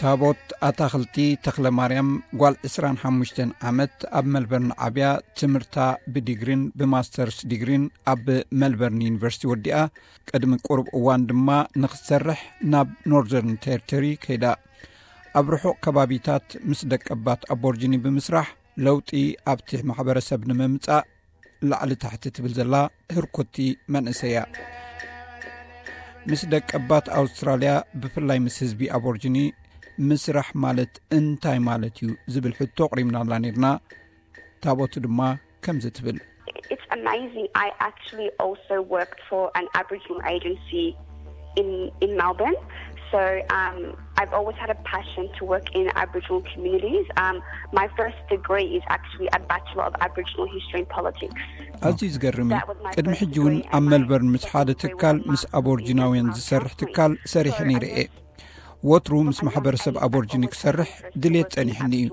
ታቦት ኣታኽልቲ ተኽለ ማርያም፣ ጓል ዕስራን ሓሙሽተን ዓመት፣ ኣብ መልበርን ዓብያ፣ ትምህርታ ብዲግሪን ብማስተርስ ዲግሪን ኣብ መልበርን ዩኒቨርሲቲ ወዲኣ፣ ቅድሚ ቁሩብ እዋን ድማ ንኽትሰርሕ ናብ ኖርዘርን ቴሪቶሪ ከይዳ። ኣብ ርሑቕ ከባቢታት ምስ ደቀባት ኣቦርጂኒ ብምስራሕ፣ ለውጢ ኣብቲ ማሕበረሰብ ንምምጻእ ላዕሊ ታሕቲ ትብል ዘላ ህርኩቲ መንእሰይ እያ። ምስ ደቀባት ኣውስትራልያ፣ ብፍላይ ምስ ህዝቢ ኣቦርጂኒ ምስራሕ ማለት እንታይ ማለት እዩ ዝብል ሕቶ ኣቕሪብናላ ነይርና። ታቦት ድማ ከምዚ ትብል። It's amazing. I actually also worked for an Aboriginal agency in in Melbourne. So um, I've always had a passion to work in Aboriginal communities. Um, my first degree is actually a Bachelor of Aboriginal History and Politics. ኣዝዩ ዝገርም እዩ። ቅድሚ ሕጂ እውን ኣብ መልበርን ምስ ሓደ ትካል ምስ ኣቦርጂናውያን ዝሰርሕ ትካል ሰሪሐ ነይረ እየ። ወትሩ ምስ ማሕበረሰብ ኣቦርጂኒ ክሰርሕ ድሌት ጸኒሕኒ እዩ።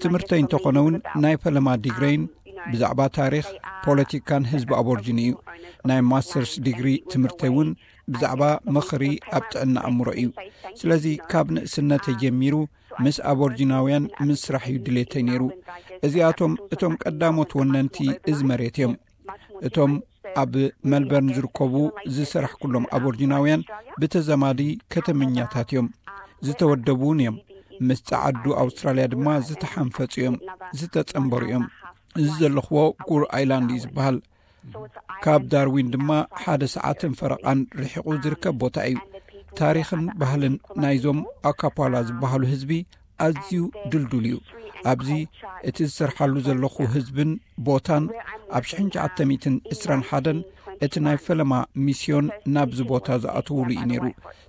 ትምህርተይ እንተኾነ እውን ናይ ፈለማ ዲግረይን ብዛዕባ ታሪኽ፣ ፖለቲካን ህዝቢ ኣቦርጂኒ እዩ። ናይ ማስተርስ ዲግሪ ትምህርተይ እውን ብዛዕባ ምኽሪ ኣብ ጥዕና ኣእምሮ እዩ። ስለዚ ካብ ንእስነተይ ጀሚሩ ምስ ኣቦርጂናውያን ምስራሕ እዩ ድሌተይ ነይሩ። እዚኣቶም እቶም ቀዳሞት ወነንቲ እዚ መሬት እዮም። እቶም ኣብ መልበርን ዝርከቡ ዝሰራሕኩሎም ኣቦርጂናውያን ብተዘማዲ ከተመኛታት እዮም። ዝተወደቡ እውን እዮም። ምስ ጸዓዱ ኣውስትራልያ ድማ ዝተሓንፈጹ እዮም፣ ዝተጸንበሩ እዮም። እዚ ዘለኽዎ ጉር ኣይላንድ እዩ ዝበሃል። ካብ ዳርዊን ድማ ሓደ ሰዓትን ፈረቓን ርሒቑ ዝርከብ ቦታ እዩ። ታሪኽን ባህልን ናይዞም ኣካፓላ ዝበሃሉ ህዝቢ ኣዝዩ ድልዱል እዩ። ኣብዚ እቲ ዝሰርሓሉ ዘለኹ ህዝብን ቦታን ኣብ ሽሕን ትሽዓተ ሚእትን ዕስራን ሓደን እቲ ናይ ፈለማ ሚስዮን ናብዚ ቦታ ዝኣተውሉ እዩ ነይሩ።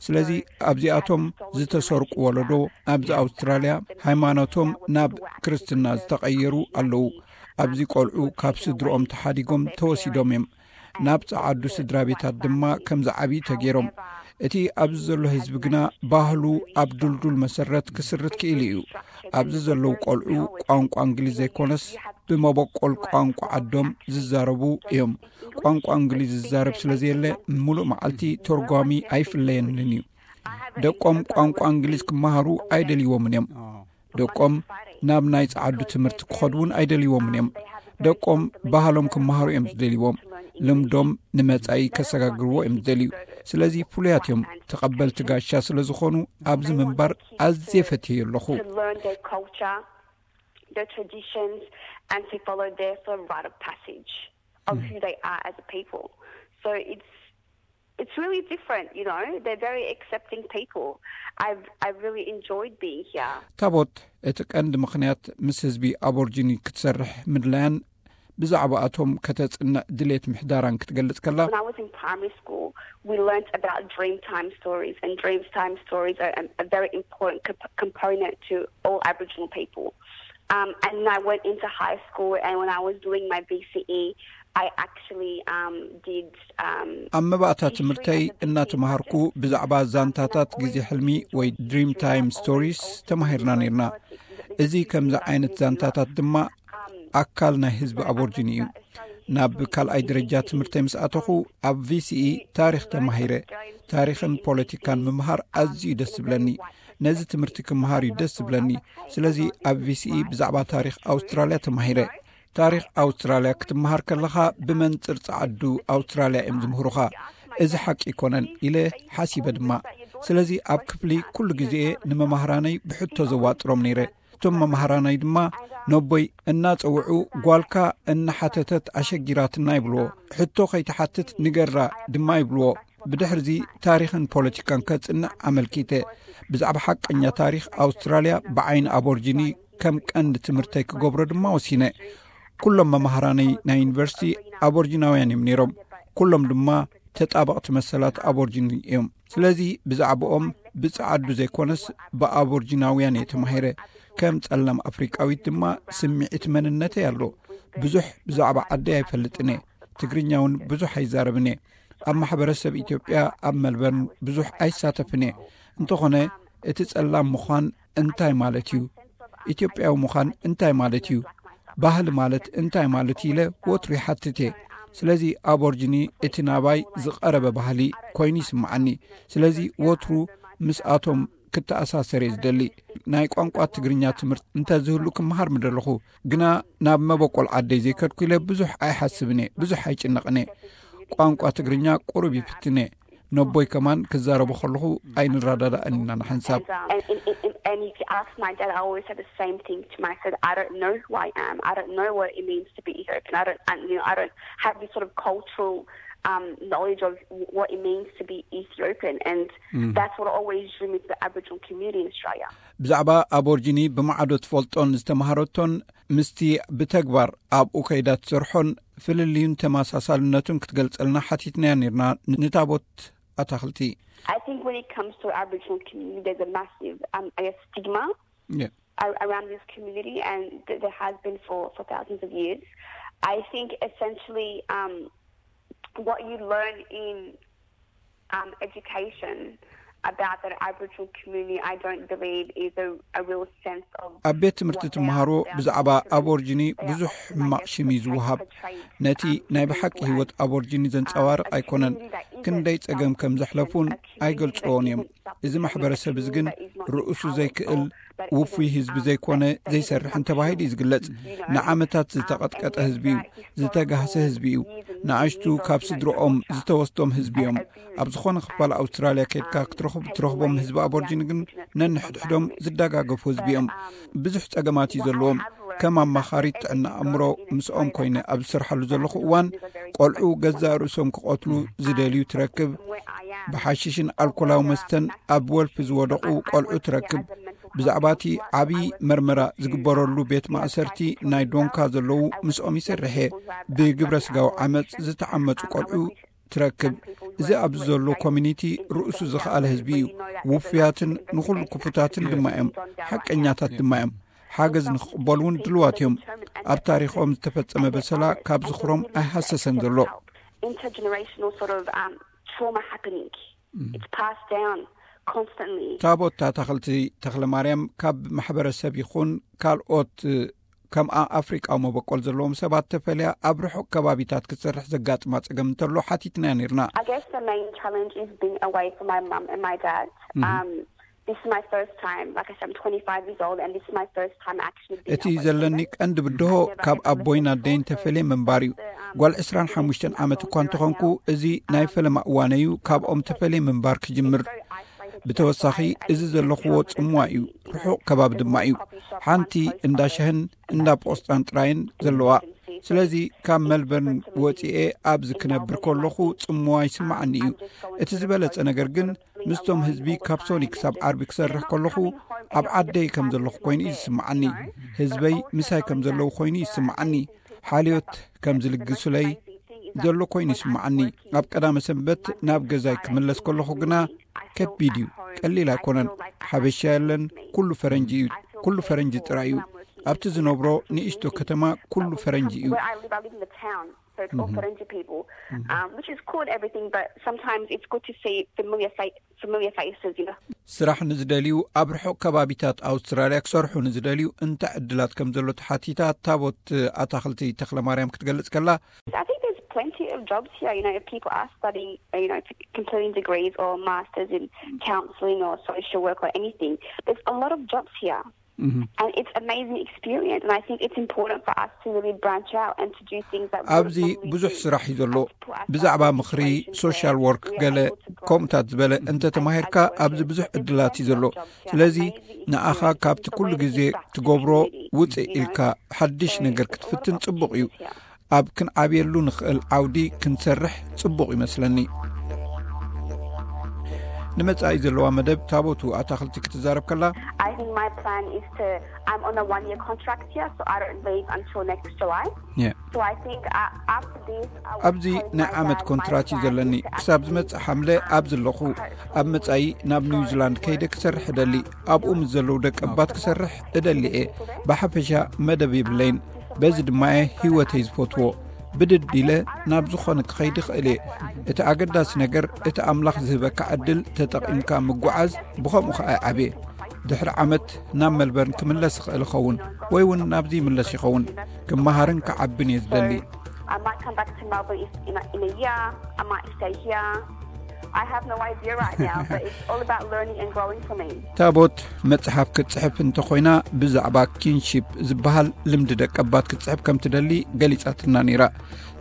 ስለዚ ኣብዚኣቶም ዝተሰርቁ ወለዶ ኣብዚ ኣውስትራልያ ሃይማኖቶም ናብ ክርስትና ዝተቐየሩ ኣለዉ። ኣብዚ ቆልዑ ካብ ስድርኦም ተሓዲጎም ተወሲዶም እዮም። ናብ ጸዓዱ ስድራ ቤታት ድማ ከም ዝዓብዩ ተገይሮም። እቲ ኣብዚ ዘሎ ህዝቢ ግና ባህሉ ኣብ ድልዱል መሰረት ክስርት ክኢሉ እዩ። ኣብዚ ዘለዉ ቆልዑ ቋንቋ እንግሊዝ ዘይኮነስ ብመበቆል ቋንቋ ዓዶም ዝዛረቡ እዮም። ቋንቋ እንግሊዝ ዝዛረብ ስለ ዘየለ፣ ምሉእ መዓልቲ ተርጓሚ ኣይፍለየንን እዩ። ደቆም ቋንቋ እንግሊዝ ክመሃሩ ኣይደልይዎምን እዮም። ደቆም ናብ ናይ ጸዓዱ ትምህርቲ ክኸዱ እውን ኣይደልይዎምን እዮም። ደቆም ባህሎም ክመሃሩ እዮም ዝደልይዎም። ልምዶም ንመጻኢ ከሰጋግርዎ እዮም ዝደልዩ። ስለዚ ፍሉያት እዮም። ተቐበልቲ ጋሻ ስለ ዝኾኑ ኣብዚ ምንባር ኣዝየ ፈትየዮ ኣለኹ። To learn their culture, their traditions, and to follow their sort of rite of passage of who they are as a people. So it's it's really different, you know. They're very accepting people. I've I've really enjoyed being here. ታቦት፣ እቲ ቀንዲ ምኽንያት ምስ ህዝቢ ኣቦርጂኒ ክትሰርሕ ምድላያን ብዛዕባኣቶም ከተጽንዕ ድሌት ምሕዳራን ክትገልጽ ከላ፣ When I was in primary school, we learnt about dream time stories, and dream time stories are a, a very important comp- component to all Aboriginal people. Um, and then I went into high school, and when I was doing my B C E, I actually um, did. Um, ኣብ መባእታ ትምህርተይ እናተምሃርኩ ብዛዕባ ዛንታታት ግዜ ሕልሚ ወይ ድሪም ታይም ስቶሪስ ተማሂርና ነይርና። እዚ ከምዚ ዓይነት ዛንታታት ድማ ኣካል ናይ ህዝቢ ኣቦርጂኒ እዩ። ናብ ካልኣይ ደረጃ ትምህርተይ ምስ ኣተኹ፣ ኣብ ቪሲኢ ታሪኽ ተማሂረ። ታሪኽን ፖለቲካን ምምሃር ኣዝዩ ደስ ዝብለኒ። ነዚ ትምህርቲ ክምሃር እዩ ደስ ዝብለኒ። ስለዚ ኣብ ቪሲኢ ብዛዕባ ታሪኽ ኣውስትራልያ ተማሂረ። ታሪኽ ኣውስትራልያ ክትምሃር ከለኻ ብመንጽር ጸዓዱ ኣውስትራልያ እዮም ዝምህሩኻ። እዚ ሓቂ ኣይኮነን ኢለ ሓሲበ ድማ። ስለዚ ኣብ ክፍሊ ኩሉ ግዜ ንመማህራነይ ብሕቶ ዘዋጥሮም ነይረ። እቶም መማህራናይ ድማ ነቦይ እናጸውዑ፣ "ጓልካ እናሓተተት ኣሸጊራትና" ይብልዎ። "ሕቶ ከይትሓትት ንገራ" ድማ ይብልዎ። ብድሕርዚ ታሪኽን ፖለቲካን ከጽንዕ ኣመልኪተ። ብዛዕባ ሓቀኛ ታሪኽ ኣውስትራልያ ብዓይኒ ኣቦርጂኒ ከም ቀንዲ ትምህርተይ ክገብሮ ድማ ወሲነ። ኩሎም መማህራነይ ናይ ዩኒቨርሲቲ ኣቦርጂናውያን እዮም ነይሮም። ኩሎም ድማ ተጣበቕቲ መሰላት ኣቦርጂኒ እዮም። ስለዚ ብዛዕባኦም ብጸዓዱ ዘይኮነስ ብኣቦርጂናውያን እየ ተማሂረ። ከም ጸላም ኣፍሪቃዊት ድማ ስምዒት መንነተይ ኣሎ። ብዙሕ ብዛዕባ ዓደይ ኣይፈልጥን እየ። ትግርኛ እውን ብዙሕ ኣይዛረብን እየ። ኣብ ማሕበረሰብ ኢትዮጵያ ኣብ መልበርን ብዙሕ ኣይሳተፍን እየ። እንተኾነ እቲ ጸላም ምዃን እንታይ ማለት እዩ? ኢትዮጵያዊ ምዃን እንታይ ማለት እዩ? ባህሊ ማለት እንታይ ማለት ኢለ ወትሩ ይሓትት እየ። ስለዚ ኣቦርጂኒ እቲ ናባይ ዝቐረበ ባህሊ ኮይኑ ይስምዓኒ። ስለዚ ወትሩ ምስኣቶም ክተኣሳሰር እየ ዝደሊ። ናይ ቋንቋ ትግርኛ ትምህርቲ እንተዝህሉ ክመሃር ምደለኹ፣ ግና ናብ መበቆል ዓደይ ዘይከድኩ ኢለ ብዙሕ ኣይሓስብን እየ፣ ብዙሕ ኣይጭነቕን እየ። ቋንቋ ትግርኛ ቁሩብ ይፍትን እየ። ነቦይ ከማን ክዛረቡ ከለኹ ኣይንረዳዳእን ኢና ንሓንሳብ። And, and, and, and if you ask my dad, I always say the same thing to my dad. I don't know who I am. I don't know what it means to be Ethiopian. I don't, I, you know, I don't have this sort of cultural um, knowledge of what it means to be Ethiopian. And that's what always drew me to the Aboriginal community in Australia. ብዛዕባ ኣቦርጂኒ ብማዕዶ ትፈልጦን ዝተምሃረቶን ምስቲ ብተግባር ኣብኡ ከይዳ ትሰርሖን ፍልልዩን ተመሳሳልነቱን ክትገልጸልና ሓቲትናያ ነርና ንታቦት ኣታኽልቲ። I think when it comes to Aboriginal community, there's a massive, um, I guess, stigma Yeah. ar- around this community, and th- there has been for, for thousands of years. I think essentially um, what you learn in um, education about that Aboriginal community, I don't believe is a, a real sense of ኣብ ቤት ትምህርቲ ትመሃሮ ብዛዕባ ኣቦርጂኒ ብዙሕ ሕማቕ ሽም እዩ ዝወሃብ። ነቲ ናይ ብሓቂ ህይወት ኣቦርጂኒ ዘንጸባርቕ ኣይኮነን። ክንደይ ጸገም ከም ዘሕለፉን ኣይገልጽዎን እዮም። እዚ ማሕበረሰብ እዚ ግን ርእሱ ዘይክእል ውፉይ ህዝቢ ዘይኮነ ዘይሰርሕን ተባሂሉ እዩ ዝግለጽ። ንዓመታት ዝተቐጥቀጠ ህዝቢ እዩ። ዝተጋህሰ ህዝቢ እዩ። ንኣሽቱ ካብ ስድሮኦም ዝተወስዶም ህዝቢ እዮም። ኣብ ዝኾነ ክፋል ኣውስትራልያ ከድካ ክትረኽቦም ህዝቢ ኣቦርጂኒ ግን ነንሕድሕዶም ዝደጋገፉ ህዝቢ እዮም። ብዙሕ ጸገማት እዩ ዘለዎም። ከም ኣማኻሪት ጥዕና ኣእምሮ ምስኦም ኮይነ ኣብ ዝሰርሓሉ ዘለኹ እዋን ቆልዑ ገዛእ ርእሶም ክቐትሉ ዝደልዩ ትረክብ። ብሓሽሽን ኣልኮላዊ መስተን ኣብ ወልፊ ዝወደቑ ቆልዑ ትረክብ። ብዛዕባ እቲ ዓብዪ መርመራ ዝግበረሉ ቤት ማእሰርቲ ናይ ዶንካ ዘለዉ ምስኦም ይሰርሐ። ብግብረ ስጋዊ ዓመፅ ዝተዓመፁ ቆልዑ ትረክብ። እዚ ኣብዚ ዘሎ ኮሚኒቲ ርእሱ ዝኸኣለ ህዝቢ እዩ። ውፉያትን ንኹሉ ክፉታትን ድማ እዮም። ሓቀኛታት ድማ እዮም። ሓገዝ ንክቕበሉ እውን ድልዋት እዮም። ኣብ ታሪኾም ዝተፈጸመ በሰላ ካብ ዝኽሮም ኣይሃሰሰን ዘሎ። Intergenerational sort of um, trauma happening. It's passed down constantly. ታቦት ኣታኽልቲ ተኽለ ማርያም ካብ ማሕበረሰብ ይኹን ካልኦት ከምኣ ኣፍሪቃዊ መበቆል ዘለዎም ሰባት ተፈልያ ኣብ ርሑቕ ከባቢታት ክትሰርሕ ዘጋጥማ ጸገም እንተሎ ሓቲትናያ ነርና። I guess the main challenge is being away from my mum and my dad. Um, this is my first time, like I said, I'm twenty-five years old, and this is my first time actually being እቲ ዘለኒ ቀንዲ ብድሆ ካብ ኣቦይን ኣደይን ተፈልየ ምንባር እዩ። ጓል ዕስራን ሓሙሽተን ዓመት እኳ እንተኾንኩ እዚ ናይ ፈለማ እዋነ እዩ ካብኦም ተፈልየ ምንባር ክጅምር። ብተወሳኺ እዚ ዘለኽዎ ጽምዋ እዩ፣ ርሑቕ ከባቢ ድማ እዩ። ሓንቲ እንዳ ሻህን እንዳ ፖስጣን ጥራይን ዘለዋ። ስለዚ ካብ መልበርን ወጺኤ ኣብዚ ክነብር ከለኹ ጽምዋ ይስምዓኒ እዩ። እቲ ዝበለጸ ነገር ግን ምስቶም ህዝቢ ካብ ሶኒ ክሳብ ዓርቢ ክሰርሕ ከለኹ ኣብ ዓደይ ከም ዘለኹ ኮይኑ እዩ ዝስምዓኒ። ህዝበይ ምሳይ ከም ዘለዉ ኮይኑ ይስምዓኒ። ሓልዮት ከም ዝልግሱለይ ዘሎ ኮይኑ ይስምዓኒ። ኣብ ቀዳመ ሰንበት ናብ ገዛይ ክምለስ ከለኹ ግና ከቢድ እዩ። ቀሊል ኣይኮነን። ሓበሻ የለን። ኩሉ ፈረንጂ እዩ። ኩሉ ፈረንጂ ጥራይ እዩ። ኣብቲ ዝነብሮ ንእሽቶ ከተማ ኩሉ ፈረንጂ እዩ። Where I live, I live in the town, so it's all Farangi people, um, which is cool and everything, but sometimes it's good to see familiar fa- familiar faces, you know. ስራሕ ንዝደልዩ ኣብ ርሑቕ ከባቢታት ኣውስትራልያ ክሰርሑ ንዝደልዩ እንታይ ዕድላት ከም ዘሎ ተሓቲታ ታቦት ኣታኽልቲ ተኽለ ማርያም ክትገልጽ ከላ I think there's plenty of jobs here, you know, if people are studying, you know, completing degrees or masters in counselling or social work or anything. There's a lot of jobs here. And it's amazing experience, and I think it's important for us to really branch out and to do things that we ኣብዚ ብዙሕ ስራሕ እዩ ዘሎ። ብዛዕባ ምኽሪ፣ ሶሻል ወርክ፣ ገለ ከምኡታት ዝበለ እንተተማሂርካ ኣብዚ ብዙሕ ዕድላት እዩ ዘሎ። ስለዚ ንኣኻ ካብቲ ኩሉ ግዜ ትገብሮ ውፅእ ኢልካ ሓድሽ ነገር ክትፍትን ጽቡቕ እዩ። ኣብ ክንዓብየሉ ንኽእል ዓውዲ ክንሰርሕ ጽቡቕ ይመስለኒ። ንመጻኢ ዘለዋ መደብ ታቦቱ ኣታኽልቲ ክትዛረብ ከላ I think my plan is to, I'm on a one year contract here, so I don't leave until next July. Yeah. So I think uh, after this, I would ኣብዚ ናይ ዓመት ኮንትራት እዩ ዘለኒ። ክሳብ ዝመጽእ ሓምለ ኣብዚ ኣለኹ። ኣብ መጻኢ ናብ ኒውዚላንድ ከይደ ክሰርሕ እደሊ። ኣብኡ ምስ ዘለዉ ደቂ ኣባት ክሰርሕ እደሊ እየ። ብሓፈሻ መደብ የብለይን። በዚ ድማ እየ ህይወተይ ዝፈትዎ። ብድድ ኢለ ናብ ዝኾነ ክኸይድ እኽእል እየ። እቲ ኣገዳሲ ነገር እቲ ኣምላኽ ዝህበካ ዕድል ተጠቒምካ ምጉዓዝ፣ ብኸምኡ ኸኣ ይዓብየ። ድሕሪ ዓመት ናብ መልበርን ክምለስ ይኽእል ይኸውን፣ ወይ እውን ናብዚ ይምለስ ይኸውን። ክመሃርን ክዓብን እየ ዝደሊ። I might come back to Melbourne if, in, a, in a year. I might stay here. I have no idea right now, but it's all about learning and growing for me. ታቦት መጽሓፍ ክትጽሕፍ እንተኾይና ብዛዕባ ኪንሺፕ ዝበሃል ልምዲ ደቀባት ክትጽሕፍ ከም ትደሊ ገሊጻትና ነይራ።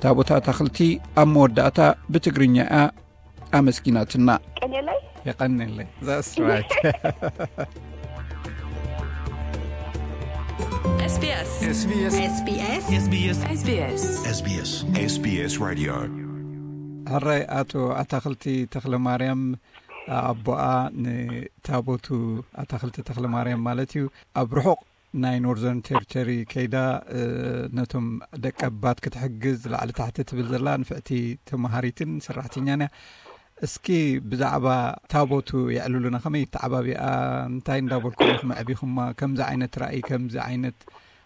ታቦት ኣታኽልቲ ኣብ መወዳእታ ብትግርኛ እያ ኣመስጊናትና። ቀኔለይ የቐንየለይ። That's right. SBS SBS SBS SBS SBS SBS Radio. ሕራይ ኣቶ ኣታኽልቲ ተኽለ ማርያም ኣቦኣ ንታቦቱ ኣታኽልቲ ተኽለ ማርያም ማለት እዩ ኣብ ርሑቕ ናይ ኖርዘርን ቴሪቶሪ ከይዳ ነቶም ደቀባት ክትሕግዝ ላዕሊ ታሕቲ ትብል ዘላ ንፍዕቲ ተማሃሪትን ሰራሕተኛን እያ። እስኪ ብዛዕባ ታቦቱ የዕልሉና። ከመይ ተዓባቢኣ? እንታይ እንዳበልኩም ኢኹም ኣዕቢኹማ? ከምዚ ዓይነት ራእይ ከምዚ ዓይነት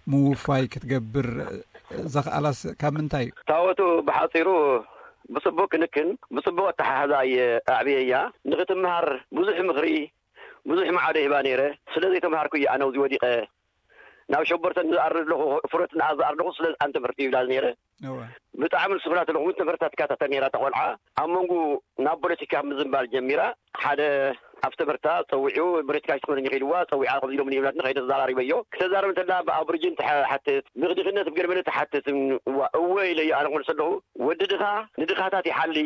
ምውፋይ ክትገብር ዘኽኣላስ ካብ ምንታይ እዩ? ታወቱ ብሓፂሩ ብፅቡቅ ክንክን ብፅቡቅ ኣተሓሕዛ እየ ኣዕብየያ። ንክትምሃር ብዙሕ ምክሪ ብዙሕ ማዕዶ ይህባ ነይረ። ስለዘይተምሃርኩ እየ ኣነ ኣብዚ ወዲቀ። ናብ ሸበርተን ዝኣርድ ኣለኹ፣ ፍረት ንኣ ዝኣርድ ኣለኹ፣ ስለዚ ኣን ትምህርቲ ይብላ ነይረ። እወ። ብጣዕሚ ንስፍላት ኣለኹ። እውን ትምህርታ ትከታተል ነይራ ተቆልዓ። ኣብ መንጎ ናብ ፖለቲካ ምዝንባል ጀሚራ። ሓደ ኣብ ትምህርታ ፀዊዑ ፖለቲካ ይትምህርኒ ኢልዋ። ፀዊዓ ከምዚ ኢሎም ይብላትኒ ከይደ ተዘራሪበዮ። ክተዛረብ እንተላ ብኣቦሪጂን ትሓትት፣ ብድኽነት ብገለመለ ትሓትት። እዋ እወ ኢለ ኣነ ክመልሰ ኣለኹ። ወዲ ድኻ ንድኻታት ይሓሊ።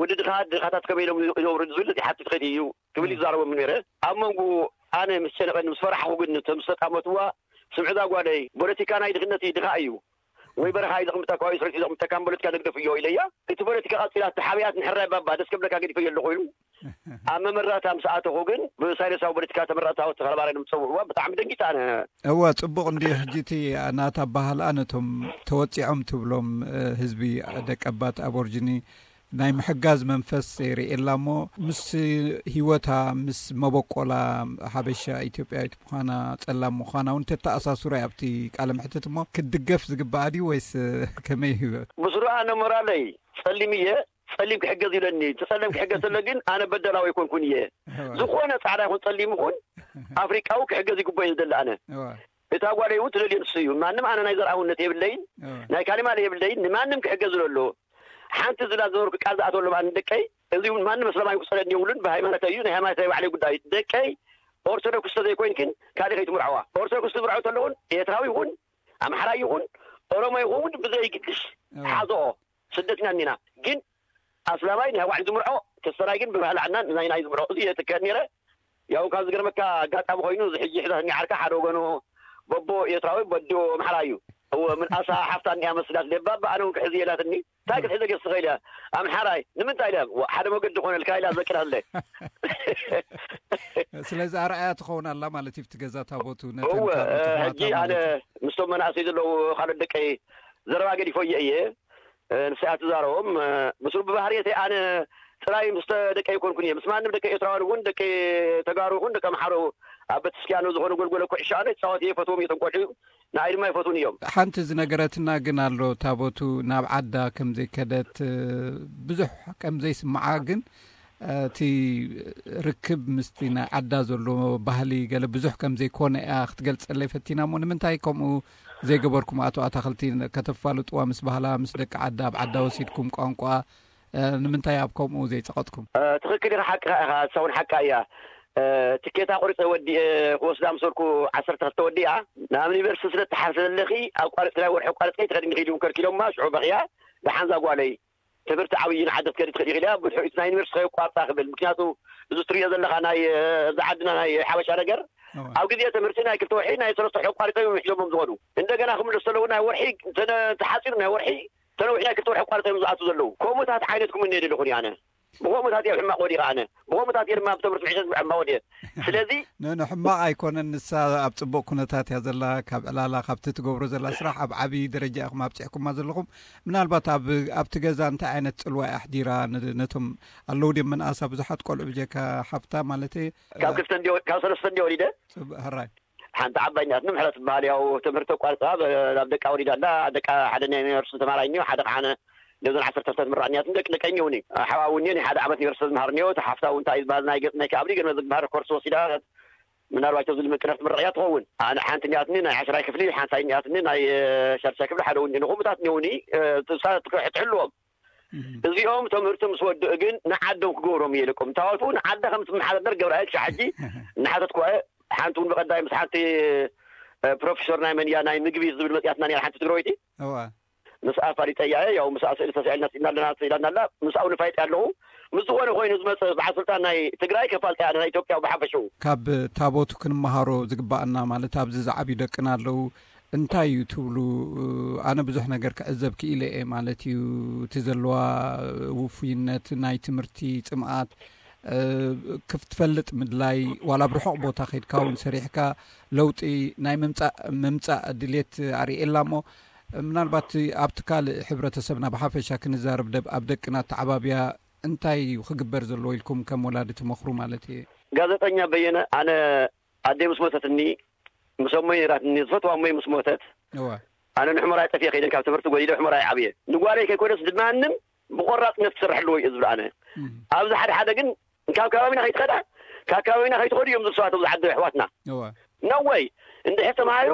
ወዲ ድኻ ድኻታት ከመይ ኢሎም ይነብሩ ዝብል ይሓትት ከይድ እዩ ክብል ይዛረቦም ነይረ። ኣብ መንጎ ኣነ ምስ ጨነቐኒ ምስ ፈራሕኹ ግን እቶም ዝተጣመትዋ ስምዕዛ ጓለይ ፖለቲካ ናይ ድኽነት እዩ፣ ድኻ እዩ። ወይ በረኻ እዩ ዘቕምጠካ ወይ ስርት እዩ ዘቕምጠካ ፖለቲካ ንግደፍ እዮ ኢለያ። እቲ ፖለቲካ ቀፂላ ተሓቢኣት ንሕራይ ባባ ደስ ከብለካ ገዲፈዮ ኣለኹ ኢሉ ኣብ መመረታ ምስ ኣተኹ ግን ብሳይለንሳዊ ፖለቲካ ተመረታ ተኸለባረ ንምፀውዕዋ ብጣዕሚ ደንጊጣ ኣነ። እወ ጽቡቕ እንድዩ። ሕጂ እቲ ናታ ኣባህልኣ ነቶም ተወጺዖም ትብሎም እ፣ ህዝቢ ደቀባት ኣቦርጅኒ ናይ ምሕጋዝ መንፈስ የርእየላ እሞ ምስ ህይወታ ምስ መበቆላ ሓበሻ ኢትዮጵያዊት ምዃና ጸላም ምዃና እውን ተተኣሳስሮ ኣብቲ ቃለ ምሕትት እሞ ክትድገፍ ዝግባኣ ድዩ ወይስ እ፣ ከመይ ህይወት? ብስሩኣ ነሞራለይ ጸሊም እየ። ጸሊም ክሕገዝ ይብለኒ። እቲ ጸሊም ክሕገዝ ተሎ ግን ኣነ በደላዊ ኣይኮንኩን እየ። ዝኾነ ጻዕዳ ይኹን ጸሊም ይኹን ኣፍሪቃዊ ክሕገዝ ይግባእ እዩ ዝደሊ ኣነ። እዋ። እታ ጓለይ እውን ትደልዮ ንሱ እዩ። ማንም ኣነ ናይ ዘርኣውነት የብለይን፣ እዋ። ናይ ካሊማለ የብለይን። ንማንም ክሕገዝ ዝደሎ ሓንቲ ዝላ ዝበርኩ ቃል ዝኣተወሎም ኣነ ደቀይ እዚ እውን ማንም እስላማይ ክጸለኒ የብሉን። ብሃይማኖት እዩ ናይ ሃይማኖት ናይ ባዕለይ ጉዳይ እዩ። ደቀይ ኦርቶዶክስ ተዘይኮይንክን ካልእ ከይትምርዐዋ። ኦርቶዶክስ ትምርዐው ተለውን ኤርትራዊ ይኹን ኣምሓራይ ይኹን ኦሮሞ ይኹን ብዘይግድሽ እዋ። ሓዝኦ። ስደትና እኒና ግን ኣስላማይ ናይ ባዕሉ ዝምርዖ ክስተራይ ግን ብባህሊ ዓድና ናይ ናይ ዝምርዖ እዚ እየ ትከድ ነይረ። ያው ካብ ዝገርመካ ኣጋጣሚ ኮይኑ እዚ ሕጂ ሕዛትኒ ዓርካ ሓደ ወገኑ በቦ ኤርትራዊ በዲኦ ኣምሓራ እዩ። እወ ምንኣሳ ሓፍታ እኒኣ መስላት ደባባ ኣነ እውን ክሕዚ የላትኒ። እንታይ ክትሕዘ ገስ ትኽእል እያ ኣምሓራይ ንምንታይ ኢለ ሓደ መገዲ ኮነልካ ኢላ ዘቅዳለ። ስለዚ ኣርኣያ ትኸውን ኣላ ማለት እዩ። እቲ ገዛ ታቦቱ ነተን እወ ካልኦት ኣሕዋታ ሕጂ ኣነ ማለት እዩ። ምስቶም መናእሰይ ዘለዉ ካልኦት ደቀይ ዘረባ ገዲፎ እየ እየ ንስኣ ትዛረቦም ምስሩ ብባህርየተይ ኣነ ጥራይ ምስ ደቂ ኣይኮንኩን እየ ምስ ማንም ደቂ ኤርትራውያን እውን ደቂ ተጋሩ ይኹን ደቂ ኣምሓሩ ኣብ ቤተክርስትያኑ ዝኾነ ጎልጎለ ኩዕሾ ኣነ ይፃወት እየ ይፈትዎም እየ እቶም ቆልዑ ንኣይ ድማ ይፈትውን እዮም። ሓንቲ ዝነገረትና ግን ኣሎ ታቦቱ ናብ ዓዳ ከም ዘይከደት ብዙሕ ከም ዘይስምዓ ግን እቲ ርክብ ምስቲ ናይ ዓዳ ዘሎ ባህሊ ገለ ብዙሕ ከም ዘይኮነ እያ ክትገልፀለይ ፈቲና እሞ ንምንታይ ከምኡ ዘይገበርኩም ኣቶ ኣታኽልቲ ከተፋልጥዋ ምስ ባህላ ምስ ደቂ ዓዳ ኣብ ዓዳ ወሲድኩም ቋንቋ ንምንታይ ኣብ ከምኡ ዘይፀቐጥኩም? ትኽክል ኢኻ ሓቅኻ ኢኻ እሳ እውን ሓቃ እያ። ትኬታ ቁሪፀ ወዲኤ ክወስዳ ምስ በልኩ ዓሰርተ ክልተ ወዲኣ ናብ ዩኒቨርሲቲ ስለ እትሓልፊ ዘለኺ ኣቋሪፅክላ ወርሒ ኣቋሪፅኪ ኣይትኸድን ኢኺ ኢሎም ከልኪሎማ ሽዑ በኽያ ደሓን እዛ ጓለይ ትምህርቲ ዓብዪ ንዓዲ ክትከዲ ትኽእሊ ኢኺ ኢለያ ብድሕሪኡ እቲ ናይ ዩኒቨርሲቲ ከየቋርፃ ክብል ምክንያቱ እዚ ትሪኦ ዘለኻ ናይ እዚ ዓድና ናይ ሓበሻ ነገር ኣብ ግዜ ትምህርቲ ናይ ክልተ ወርሒ ናይ ሰለስተ ወርሒ ኣቋሪፆም እዮም ሒዞሞም ዝኸዱ እንደገና ክምለሱ ተለዉ ናይ ወርሒ ተሓፂሩ ናይ ወርሒ ተነዊሕ ናይ ክልተ ወርሒ ኣቋሪፆም እዮም ዝኣትዉ ዘለዉ ከምኡታት ዓይነት ክምነ የደለኹን ኣነ ብኸምኡታት እየ ኣብ ሕማቕ ወዲቐ ኣነ ብኸምኡታት እየ ድማ ብትምህርቲ ምሒዘ ኣብ ሕማቕ ወዲቐ ስለዚ ንሕማቕ ኣይኮነን ንሳ ኣብ ፅቡቕ ኩነታት እያ ዘላ ካብ ዕላላ ካብቲ ትገብሮ ዘላ ስራሕ ኣብ ዓብዪ ደረጃ ኢኹም ኣብፂሕኩማ ዘለኹም ምናልባት ኣብቲ ገዛ እንታይ ዓይነት ፅልዋ ኣሕዲራ ነቶም ኣለዉ ድዮም ምንኣሳ ብዙሓት ቆልዑ ብጀካ ሓፍታ ማለት ካብ ክልተ ካብ ሰለስተ እንዲ ወሊደ ሕራይ ሓንቲ ዓባይ እኒኣትኒ ምሕረት ትበሃል ያው ትምህርቲ ኣቋርፃ ናብ ደቃ ወሊዳ ኣላ ደቃ ሓደ ናይ ዩኒቨርሲቲ ተማራይ እኒኦ ሓደ ከዓ ነዞን ዓሰርተ ክልተ ትምራዕ እኒኣትኒ ደቂ ደቀይ እኒኦኒ ሓዋ እውን እኒኦ ናይ ሓደ ዓመት ዩኒቨርሲቲ ዝምሃር እኒኦ እቲ ሓፍታ እውን እንታይ ዝበሃል ናይ ገፅ ናይ ከኣብሊ ገለ ዝግባር ኮርስ ወሲዳ ምናልባት ኣብዚ ልምቅነፍ ትምረቕ እያ ትኸውን ኣነ ሓንቲ እኒኣትኒ ናይ ዓሽራይ ክፍሊ ሓንሳይ እኒኣትኒ ናይ ሻድሻይ ክፍሊ ሓደ እውን እኒኦ ንኹምታት እኒኦኒ ትሕልዎም እዚኦም ትምህርቲ ምስ ወድኡ ግን ንዓዶም ክገብሮም እየ ኢለኩም። ታወቱ ንዓደ ከም ትመሓደር ገብርኣይ ክሻ ሕጂ እናሓተትኩ እየ። ሓንቲ እውን ብቐዳይ ምስ ሓንቲ እ፣ ፕሮፌሰር ናይ መን እያ ናይ ምግቢ ዝብል መፅያትና ነራ ሓንቲ ትግራወይቲ። እዋ ምስኣ ፋሊጠያ እየ። ያው ምስኣ ስእሊ ተስዒልና ስኢና ኣለና ስኢላና ኣላ። ምስኣ እውን ፋይጠ ኣለኹ። ምስ ዝኾነ ኮይኑ ዝመፅእ በዓል ስልጣን ናይ ትግራይ ከፋልጠ እያ ናይ ኢትዮጵያ ብሓፈሽኡ። ካብ ታቦቱ ክንመሃሮ ዝግባኣና ማለት ኣብዚ ዝዓብዩ ደቅና ኣለዉ። እንታይ እዩ ትብሉ? ኣነ ብዙሕ ነገር ክዕዘብ ክኢለ እየ ማለት እዩ። እቲ ዘለዋ ውፉይነት ናይ ትምህርቲ ፅምኣት እ፣ ክትፈልጥ ምድላይ ዋላ ብርሑቕ ቦታ ከይድካ እውን ሰሪሕካ ለውጢ ናይ ምምፃእ ምምፃእ ድሌት ኣርእየላ እሞ ምናልባት ኣብቲ ካልእ ሕብረተሰብና ብሓፈሻ ክንዛረብ ደብ ኣብ ደቅና ተዓባብያ እንታይ እዩ ክግበር ዘለዎ ኢልኩም ከም ወላዲ ትመኽሩ ማለት እየ። ጋዜጠኛ በየነ ኣነ ኣደይ ምስ ሞተትኒ ምስ ኣሞይ ነይራትኒ ዝፈትዋ ኣሞይ ምስ ሞተት እዋ ኣነ ንሕሞራይ ጠፊኤ ከይደ ካብ ትምህርቲ ጎዲለ ሕሞራይ ዓብየ ንጓለይ ከይኮነስ ድማንም ብቆራፅነት ክሰርሐ ኣለዎ እዩ ዝብል ኣነ ኣብዚ ሓደ ሓደ ግን ካብ ከባቢና ከይትኸዳ ካብ ከባቢና ከይትኸዱ እዮም ዝብሉ ሰባት ኣብዚ ዓዲ ኣሕዋትና እዋ ነወይ እንድሕር ተማሂሩ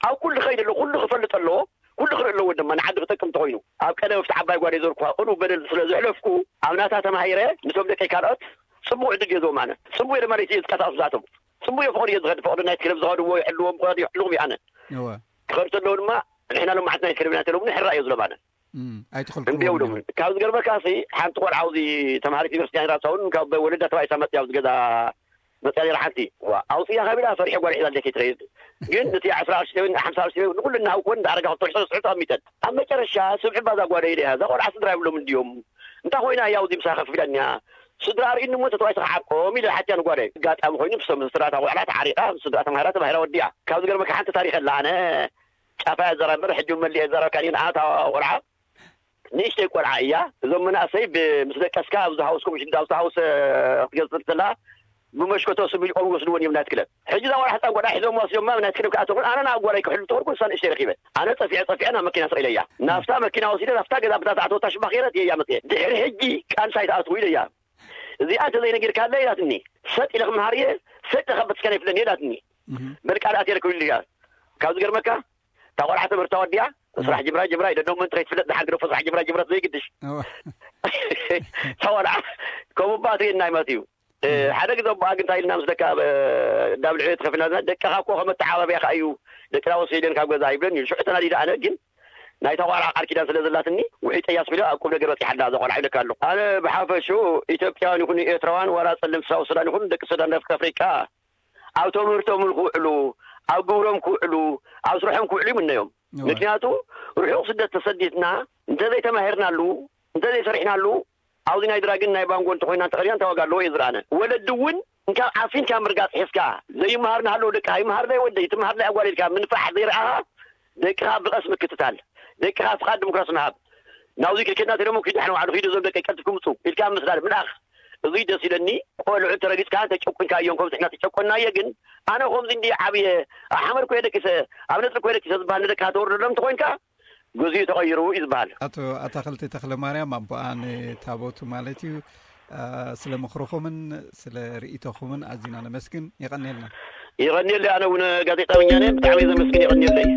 ኣብ ኩሉ ክኸይድ ኣለዎ ኩሉ ክፈልጥ ኣለዎ ኩሉ ክርኢ ኣለዎ ድማ ንዓዲ ክጠቅም እንተኮይኑ ኣብ ቀደም ኣብቲ ዓባይ ጓደይ ዘርኩ ቅኑዕ በደል ስለ ዘሕለፍኩ ኣብ ናታ ተማሂረ ነቶም ደቀይ ካልኦት ፅቡቅ ዕድል እየ ዝህቦም ኣነ ፅቡቅ እየ ድማ ለይቲ እየ ዝቀሳቀስ ምስኣቶም ፅቡቅ እየ ፍቅሪ እየ ዝኸድ ፍቅሪ ናይቲ ክለብ ዝኸድዎ ይሕልዎም ክኸዱ ይሕልዎም እየ ኣነ እዋ ክኸዱ ተለዉ ድማ ንሕና ሎም መዓልቲ ናይ ክለብና ተለምኒ ሕራ እየ ዝሎም ኣነ እም፣ ኣይትኸልክልዎም እምቢ እዮም። የብሎምን ካብ ዝገርመካሲ ሓንቲ ቆልዓ ኣብዚ ተምሃሪት ዩኒቨርሲቲ ራሳውን ካብ ወለዳ ተባኢሳ መፅያ ኣብዚ ገዛ መፅያ ነራ ሓንቲ ዋ ኣውፅያ ካብ ኢላ ፈሪሐ ጓል ሒዛ ደከይ ትኸይድ ግን እቲ ዓስራ ቅርሺ ተበን ሓምሳ ቅርሺ ተበን ንኩሉ እናሃብኩወን እንዳኣረጋ ክትወርሶ ስዑ ተቐሚጠን ኣብ መጨረሻ ስምዒ ባዛ ጓደይ ኢለ እያ እዛ ቆልዓ ስድራ የብሎም እንድዮም እንታይ ኮይና እያ ኣብዚ ምሳ ከፍ ኢላኒያ ስድራ ኣርእኒ እሞ ተተዋይ ተኸዓርቆም ኢለ ሓትያ ንጓደይ ኣጋጣሚ ኮይኑ ምስ ስድራ እታ ቆልዓ ተዓሪቃ ምስ ስድራ ተማሂራ ተባሂራ ወዲኣ ካብ ዝገርመካ ሓንቲ ታሪክ ኣላ ኣነ ጫፋ እያ ዘራምር ሕጂ እውን መሊአ ዘረብካ እኔ ንኣታ ቆልዓ ንእሽተይ ቆልዓ እያ እዞም መናእሰይ ምስ ደቀስካ ኣብዚ ሃውስኩም ሽዳ ኣብዚ ሃውስ ክትገዝእ እንተላ ብመሽኮቶ ስሚልቆም ይወስድወን እዮም ናይት ክለብ ሕጂ እዛ ቆልዓ ህፃን ቆልዓ ሒዞም ወስዶማ ናይት ክለብ ክኣተኹን ኣነ ናብ ጓላይ ክሕሉ ተኸልኩ እሳ ንእሽተይ ረኪበ ኣነ ፀፊዐ ፀፊዐ ናብ መኪና ስቕ ኢለያ ናብታ መኪና ወሲደ ናብታ ገዛ ብታ ዝኣተወታ ሽባ ከይረት እየያ መፅየ ድሕሪ ሕጂ ቃልሳ ይትኣትዉ ኢለያ እዚኣ እንተዘይነጊርካለይ ኢላትኒ ሰጥ ኢለ ክመሃር እየ ሰጥ ኢለ ካብ በትስካን ኣይፍለኒ ኢላትኒ በልቃ ደኣ ተልኩ ኢሉ እያ ካብ ዝገርመካ እታ ቆልዓ ትምህርታ ወዲኣ ስራሕ ጅምራ ጅምራ ይደዶ ምን ትረይ ትፍለጥ ድሓር ግደፎ ስራሕ ጅምራ ጅምረት ዘይግድሽ እታ ቆልዓ ከምኡ ባትሪ እናይ መት እዩ ሓደ ግዜ ኣቦኣ ግን እንታይ ኢልና ምስ ደቃ ዳብ ልዕሊ ተኸፊልና ደቅኻ እኮ ከመተዓባብያ ከኣ እዩ ደቅና ወሲደን ካብ ገዛ ይብለኒ እዩ ሽዑ ተናዲደ ኣነ ግን ናይታ ቆልዓ ቃል ኪዳን ስለ ዘላትኒ ውሒጠያ ስለ ኣብ ቁም ነገር በፂሓላ እዛ ቆልዓ ኢለካ ኣለኹ ኣነ ብሓፈሽኡ ኢትዮጵያውያን ይኹኑ ኤርትራውያን ዋላ ፀለምቲ ሳውት ሱዳን ይኹኑ ደቂ ሱዳን ደቂ ኣፍሪቃ ኣብ ትምህርቶም ክውዕሉ ኣብ ግብሮም ክውዕሉ ኣብ ስርሖም ክውዕሉ ይምነዮም ምክንያቱ ርሑቕ ስደት ተሰዲድና እንተዘይተማሂርናሉ እንተዘይሰሪሕናሉ ኣብዚ ናይ ድራግን ናይ ባንጎ እንተኮይና እንተቀሪና እንታይ ዋጋ ኣለዎ እየ ዝረኣነ ወለዲ እውን እንካብ ዓፊንካ ምርጋፅ ሒዝካ ዘይመሃር ናሃለዉ ደቂ ኣይመሃር ናይ ወደይ ትመሃር ናይ ኣጓል ኢልካ ምንፋሕ ዘይረኣኻ ደቅኻ ብቐስ ምክትታል ደቅኻ ፍቓድ ዲሞክራሲ ምሃብ ናብዚ ክልክልና ተደሞ ኪዱ ሓነ ዋዕዱ ኪዱ እዞም ደቂ ቀልጥፍ ክምፁ ኢልካ ምስዳድ ምልኣኽ እዙይ ደስ ኢለኒ ቆልዑ ተረጊፅካ ተጨቁንካ እዮም ከምዚ ሕና ተጨቆናየ ግን ኣነ ከምዚ እንዲ ዓብየ ኣብ ሓመድ ኮየ ደቂሰ ኣብ ነጥሪ ኮየ ደቂሰ ዝበሃል ንደቅኻ ተወርደሎም እንተኮይንካ ግዜኡ ተቐይሩ እዩ ዝበሃል። ኣቶ ኣታኽልቲ ተኽለማርያም ኣቦኣ ንታቦቱ ማለት እዩ። ስለ ምኽርኹምን ስለ ርእይቶኹምን ኣዚና ነመስግን። የቐንየልና። የቐንየለይ። ኣነ እውን ጋዜጣ ወኛነ ብጣዕሚ ዘመስግን። የቐንየለይ።